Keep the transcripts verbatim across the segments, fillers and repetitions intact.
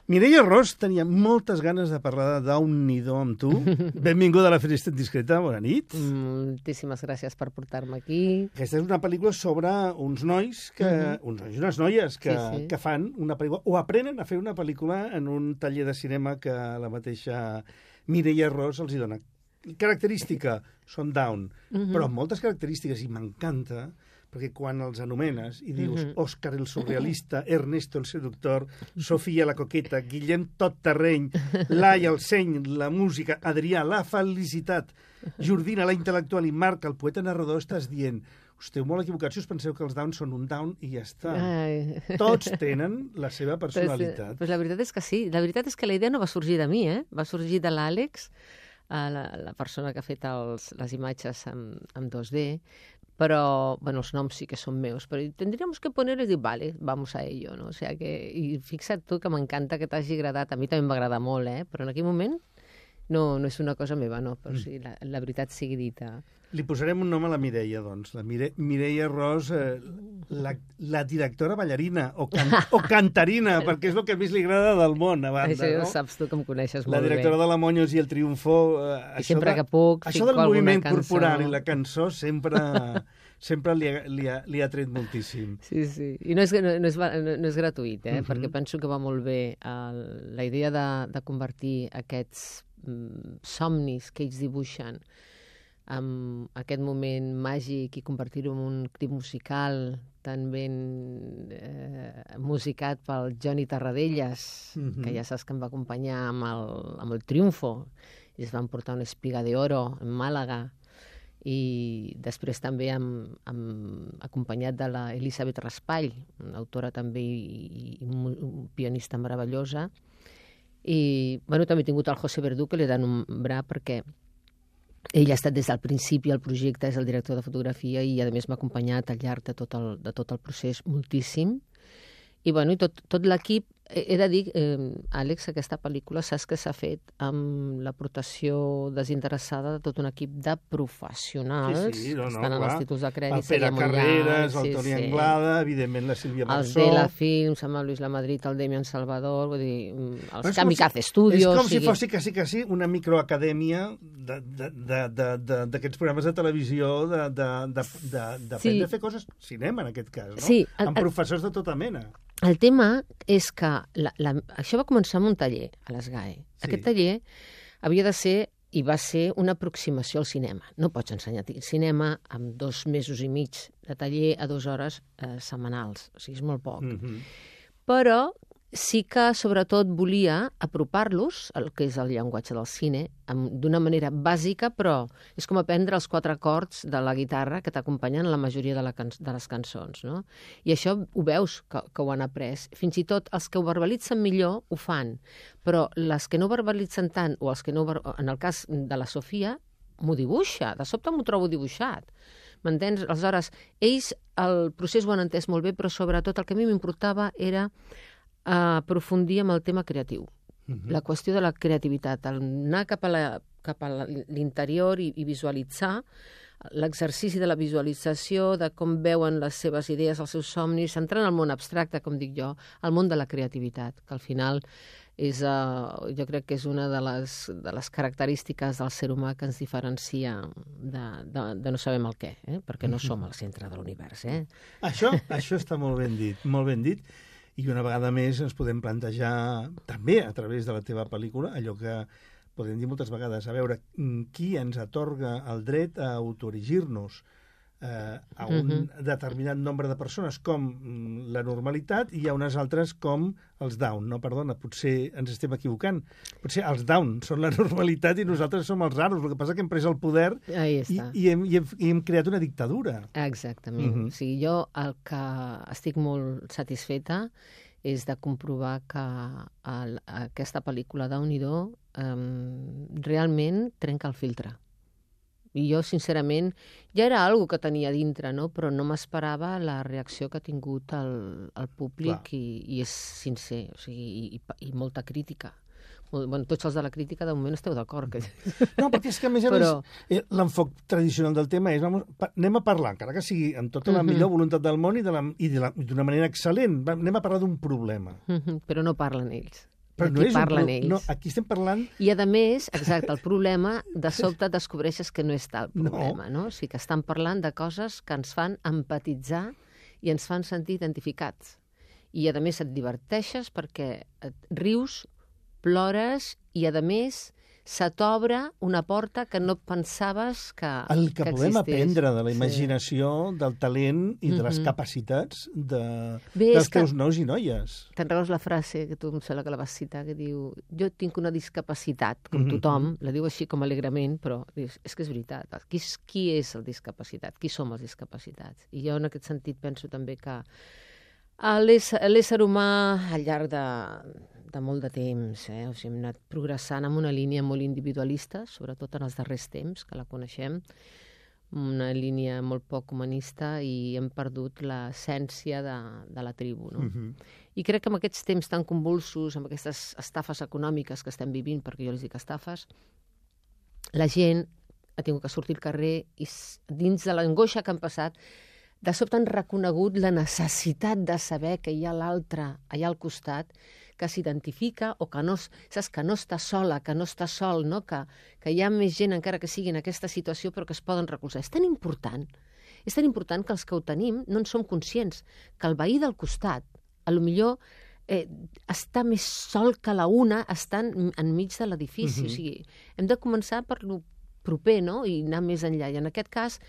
Mireia Ros tenia moltes ganes de parlar de Déu-n'hi-do amb tu. Benvinguda a la Finestra Indiscreta, bona nit. Moltíssimes gràcies per portar-me aquí. Aquesta és una pel·lícula sobre uns nois, que, uh-huh. uns nois i unes noies que, sí, sí. que fan una pel·lícula, o aprenen a fer una pel·lícula en un taller de cinema que la mateixa Mireia Ros els hi dona. Característica, són Down, uh-huh. però amb moltes característiques, i m'encanta, perquè quan els anomenes i dius uh-huh. Òscar el surrealista, Ernesto el seductor, Sofia la coqueta, Guillem tot terreny, Laia el seny, la música, Adrià la felicitat, Jordina la intel·lectual i Marc el poeta narrador, estàs dient esteu molt equivocats si us penseu que els Downs són un Down i ja està. Ai. Tots tenen la seva personalitat. Pues, pues la veritat és que sí. La veritat és que la idea no va sorgir de mi, eh? Va sorgir de l'Àlex, la, la persona que ha fet els, les imatges en, en dos D, però, bueno, els noms sí que són meus, però tendríamos que poner i dir, vale, vamos a ello, no? O sea que, i fixa't tu que m'encanta que t'hagi agradat, a mi també m'agrada molt, eh? Però en aquell moment no, no és una cosa meva, no, però sí, la, la veritat sigui dita. Li posarem un nom a la Mireia, doncs, la Mire, Mireia Ros, eh, la, la directora ballarina, o, can, o cantarina, perquè és el que més li agrada del món, a banda, això no? Això saps tu que em coneixes molt bé. La directora bé. de la Moños i el Triunfo. Eh, I sempre de, que puc, això del moviment corporal i la cançó sempre... sempre li ha, li, ha, li ha tret moltíssim. Sí, sí. I no és, no, no és, no és gratuït, eh? Uh-huh. Perquè penso que va molt bé el, la idea de, de convertir aquests mm, somnis que ells dibuixen en aquest moment màgic i convertir-ho en un clip musical tan ben eh, musicat pel Johnny Tarradellas, uh-huh. que ja saps que em va acompanyar amb el, amb el Triunfo, i es van portar una espiga de oro en Màlaga, i després també amb, amb, acompanyat de la Elisabet Raspall, una autora també i, i un pianista meravellosa. I bueno, també he tingut el José Verdú, que l'he de nombrar perquè ell ha estat des del principi al projecte, és el director de fotografia i a més m'ha acompanyat al llarg de tot el, de tot el procés moltíssim. I, bueno, i tot, tot l'equip, he de dir, eh, Àlex, aquesta pel·lícula saps que s'ha fet amb l'aportació desinteressada de tot un equip de professionals, sí, sí, no, no, que estan en els títols de crèdit. El Pere Carreras, el Toni sí, Anglada, sí. Evidentment la Sílvia Marsó. Els de la Films, amb el Luis Lamadrid, el Demian Salvador, vull dir, els Kamikaze Studios. És com si fos quasi, quasi una microacadèmia d'aquests programes de televisió de, de, de, de, de, sí. de fer coses, cinema en aquest cas, no? Sí, el, amb professors de tota mena. El tema és que la, la, això va començar amb un taller a l'Esgae. Sí. Aquest taller havia de ser i va ser una aproximació al cinema. No pots ensenyar cinema amb dos mesos i mig de taller a dues hores eh, setmanals. O sigui, és molt poc. Mm-hmm. Però sí que, sobretot, volia apropar-los al que és el llenguatge del cine d'una manera bàsica, però és com aprendre els quatre acords de la guitarra que t'acompanyen la majoria de, la can de les cançons, no? I això ho veus que, que ho han après. Fins i tot els que ho verbalitzen millor ho fan, però les que no verbalitzen tant, o els que no... En el cas de la Sofia, m'ho dibuixa. De sobte m'ho trobo dibuixat. M'entens? Aleshores, ells el procés ho han entès molt bé, però sobretot el que a mi m'importava era a aprofundir amb el tema creatiu. Uh-huh. La qüestió de la creativitat, anar cap a la, cap a l'interior i, i visualitzar l'exercici de la visualització, de com veuen les seves idees, els seus somnis, entrar en el món abstracte, com dic jo, el món de la creativitat, que al final és, uh, jo crec que és una de les, de les característiques del ser humà que ens diferencia de, de, de no sabem el què, eh? Perquè no som al centre de l'univers. Eh? Això, això està molt ben dit, molt ben dit. I una vegada més ens podem plantejar, també a través de la teva pel·lícula, allò que podem dir moltes vegades, a veure qui ens atorga el dret a autoerigir-nos eh, a un uh-huh. determinat nombre de persones, com la normalitat, i hi ha unes altres com els Down. No, perdona, potser ens estem equivocant. Potser els Down són la normalitat i nosaltres som els raros. El que passa és que hem pres el poder i, i, hem, i, hem, i hem creat una dictadura. Exactament. Uh-huh. O sigui, jo el que estic molt satisfeta és de comprovar que el, aquesta pel·lícula Déu-n'hi-do um, realment trenca el filtre. I jo, sincerament, ja era algo que tenia dintre, no? Però no m'esperava la reacció que ha tingut el, el públic i, i és sincer, o sigui, i, i, i molta crítica. Bueno, tots els de la crítica de moment esteu d'acord. Que... No, perquè és que a més a més Però... l'enfoc tradicional del tema és vamos, anem a parlar, encara que sigui amb tota la uh-huh. millor voluntat del món i d'una de la, i de manera excel·lent, anem a parlar d'un problema. Uh-huh. Però no parlen ells. Però no aquí és parlen un... ells. No, aquí estem parlant... I, a més, exacte, el problema, de sobte descobreixes que no és tal problema, no? no? O sigui, que estan parlant de coses que ens fan empatitzar i ens fan sentir identificats. I, a més, et diverteixes perquè et rius, plores i, a més, se t'obre una porta que no pensaves que, El que, que podem existís. aprendre de la imaginació, sí. del talent i de les Mm-hmm. capacitats de, Bé, dels és que- teus nois i noies. Te'n recordes la frase, que tu em sembla que la vas citar, que diu jo tinc una discapacitat, com Mhm. tothom, la diu així com alegrement, però dius, és que és veritat. Qui és, qui és el discapacitat? Qui som els discapacitats? I jo en aquest sentit penso també que l'ésser l'ésser humà al llarg de, de molt de temps, eh? O sigui, hem anat progressant en una línia molt individualista, sobretot en els darrers temps, que la coneixem, una línia molt poc humanista i hem perdut l'essència de, de la tribu, no? Mhm. I crec que en aquests temps tan convulsos, amb aquestes estafes econòmiques que estem vivint, perquè jo les dic estafes, la gent ha tingut que sortir al carrer i s- dins de l'angoixa que han passat, de sobte han reconegut la necessitat de saber que hi ha l'altre allà al costat, que s'identifica o que no, s- saps, que no està sola, que no està sol, no? que, que hi ha més gent encara que sigui en aquesta situació però que es poden recolzar. És tan important, és tan important que els que ho tenim no en som conscients, que el veí del costat, a lo millor eh, està més sol que la una estant enmig de l'edifici. Mhm. O sigui, hem de començar per lo proper, no? I anar més enllà. I en aquest cas,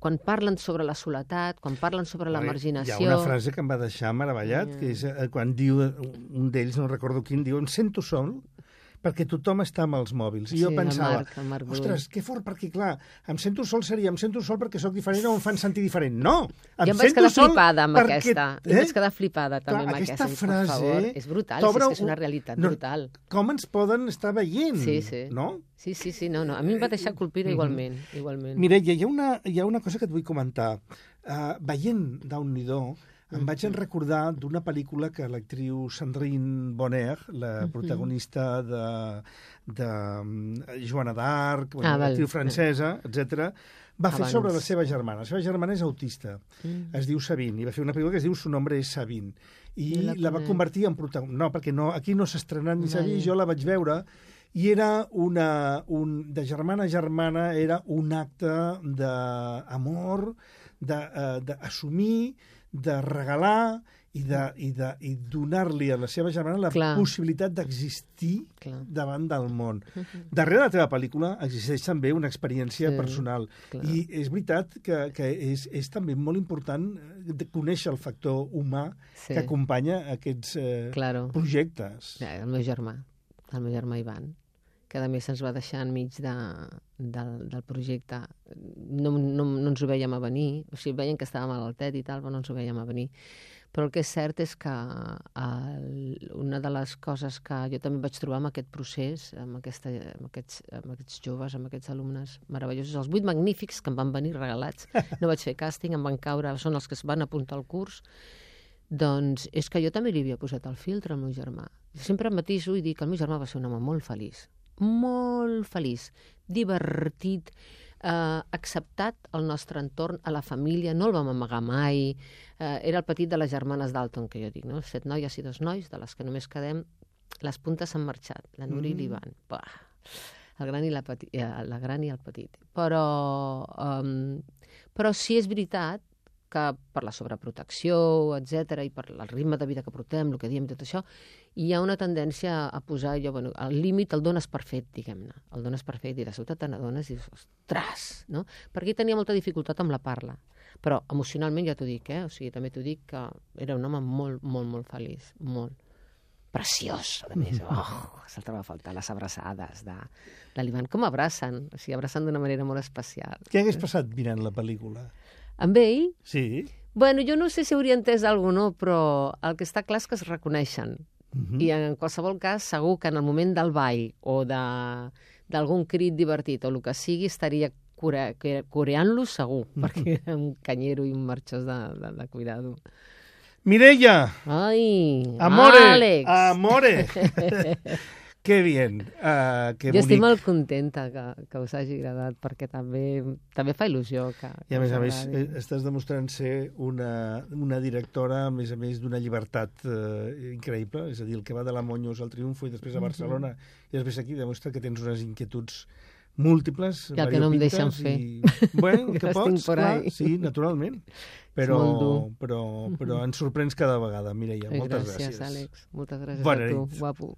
quan parlen sobre la soledat, quan parlen sobre la Hi marginació... ha una frase que em va deixar meravellat, que és eh, quan diu, eh, un d'ells, no recordo quin, diu, em sento sol perquè tothom està amb els mòbils. I Sí, jo el pensava, Marc, el Marc Brull. ostres, que fort, perquè clar, em sento sol seria, em sento sol perquè sóc diferent o em fan sentir diferent. No! Em Jo em vaig sento quedar sol flipada amb perquè- aquesta. eh? Jo em vaig quedar flipada també Clar, amb aquesta aquesta. frase per favor. És brutal, t'obre és que és una un- realitat no, brutal. Com ens poden estar veient, Sí, sí. no? Sí, sí, sí, no, no. A mi em va deixar colpida Mhm. igualment. igualment. Mireia, hi ha una, hi ha una cosa que et vull comentar. Uh, veient Déu-n'hi-do, em vaig en recordar d'una pel·lícula que l'actriu Sandrine Bonner, la protagonista de, de um, Joana d'Arc, bueno, Ah, val. l'actriu francesa, etcètera, va fer Abans. sobre la seva germana. La seva germana és autista, Mm. es diu Sabine, i va fer una pel·lícula que es diu Su nombre és Sabine. I No la, la va conec. convertir en protagonista. No, perquè no, aquí no s'ha estrenat ni s'ha Vale. vist, jo la vaig veure, i era una, un, de germana a germana, era un acte d'amor, d'assumir, de regalar i de, i de, i donar-li a la seva germana la Clar. possibilitat d'existir Clar. davant del món. Darrere de la teva pel·lícula existeix també una experiència Sí, personal. clar. I és veritat que, que és, és també molt important de conèixer el factor humà Sí. que acompanya aquests eh, Claro. projectes. Ja, el meu germà, el meu germà Ivan, que a més ens va deixar enmig de, del, del projecte. No, no, no ens ho veiem a venir, o sigui, veiem que estava malaltet i tal, però no ens ho veiem a venir. Però el que és cert és que el, una de les coses que jo també vaig trobar amb aquest procés, amb, aquesta, amb, aquests, amb aquests joves, amb aquests alumnes meravellosos, els vuit magnífics que em van venir regalats, no vaig fer càsting, em van caure, són els que es van apuntar al curs, doncs és que jo també li havia posat el filtre al meu germà. Sempre em matiso i dic que el meu germà va ser un home molt feliç, molt feliç, divertit, eh, acceptat al nostre entorn, a la família, no el vam amagar mai, eh, era el petit de les germanes Dalton, que jo dic, no? Set noies i dos nois, de les que només quedem, les puntes s'han marxat, la Núria mm. i l'Ivan. Bah, el gran i la, peti, eh, la gran i el petit. Però, um, però sí és veritat que per la sobreprotecció, etcètera, i per el ritme de vida que portem, el que diem, tot això, hi ha una tendència a posar, jo, bueno, el límit el dones per fet, diguem-ne. El dones per fet i de sobte te n'adones i dius, ostres, no? Perquè tenia molta dificultat amb la parla. Però emocionalment ja t'ho dic, eh? O sigui, també t'ho dic que era un home molt, molt, molt feliç, molt preciós, a més. Oh, se'l troba a faltar les abraçades de, de l'Ivan. Com abracen? O sigui, abracen d'una manera molt especial. Què hagués passat mirant la pel·lícula? Amb ell? Sí. Bueno, jo no sé si hauria entès alguna cosa, no, però el que està clar és que es reconeixen. Uh-huh. I en qualsevol cas, segur que en el moment del ball o d'algun crit divertit o el que sigui, estaria core coreant-lo segur, uh-huh. perquè era un canyero i un marxós de, de, de cuidado. Mireia! Ai, Amore! Àlex! Amore! Que bien, uh, que jo bonic. estic molt contenta que, que us hagi agradat, perquè també, també fa il·lusió que, que I a més a més agradi. estàs demostrant ser una, una directora, a més a més, d'una llibertat uh, increïble, és a dir, el que va de la Monyos al Triunfo i després a Barcelona, uh-huh. i després aquí demostra que tens unes inquietuds múltiples, que el que no em deixen fer. I, bueno, que pots, clar, sí, naturalment. Però, però, però ens sorprens cada vegada, Mireia. Moltes gràcies. Gràcies, Àlex. Moltes gràcies Bona a tu, nit. guapo.